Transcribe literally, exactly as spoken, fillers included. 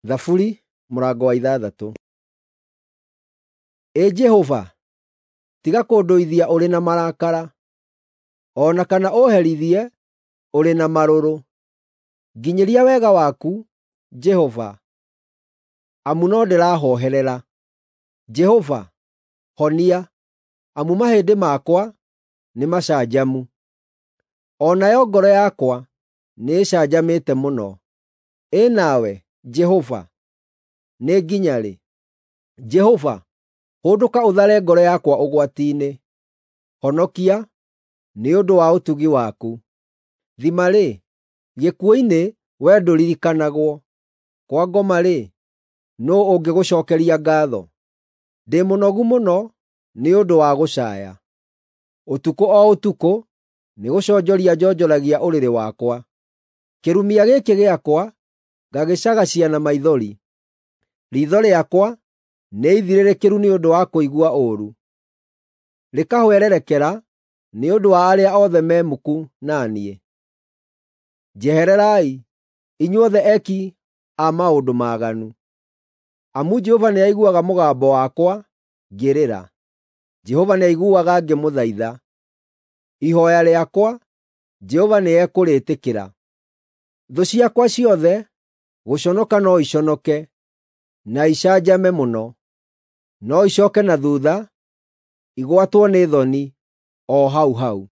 Thaburi mũrango wa ithathatũ. Ĩ Jehova, tiga kũndũithia ũrĩ na marakara, o na kana ũũherithie ũrĩ na marũrũ. Nginyĩria wega waku, Jehova, amu no ndĩrahooherera. Jehova, honia, amu mahĩndĩ makwa nĩmacanjamu. O nayo ngoro yakwa nĩĩcanjamĩte mũno. Ĩ nawe, Jehova, nĩ nginya rĩ? Jehova, hũndũka ũthare ngoro yakwa ũgwati-inĩ. Honokia nĩ ũndũ wa ũtugi waku. Thima-rĩ, gĩkuũ-inĩ wee ndũririkanagwo; kwa ngoma-rĩ, nũũ ũngĩgũcookeria ngaatho? Ndĩ mũnogu mũno nĩ ũndũ wa gũcaaya. Ũtukũ o ũtukũ nĩgũconjoria njonjoragia ũrĩrĩ wakwa. Kĩrumia gĩkĩ gĩakwa ngagĩcagacia na maithori. Riitho rĩakwa nĩ ithirĩrĩkĩru nĩ ũndũ wa kũigua ũũru, rĩkahwererekera nĩ ũndũ wa arĩa othe me muku na niĩ. Njehererai, inyuothe eki a maũndũ maaganu, amu Jehova nĩaiguaga mũgambo wakwa ngĩrĩra. Jehova nĩaiguaga ngĩmũthaitha. Ihooya rĩakwa Jehova nĩekũrĩĩtĩkĩra. Thũ ciakwa ciothe gũconoka no iconoke na icanjame mũno; no icooke na thuutha, igwatwo nĩ thoni o hau hau.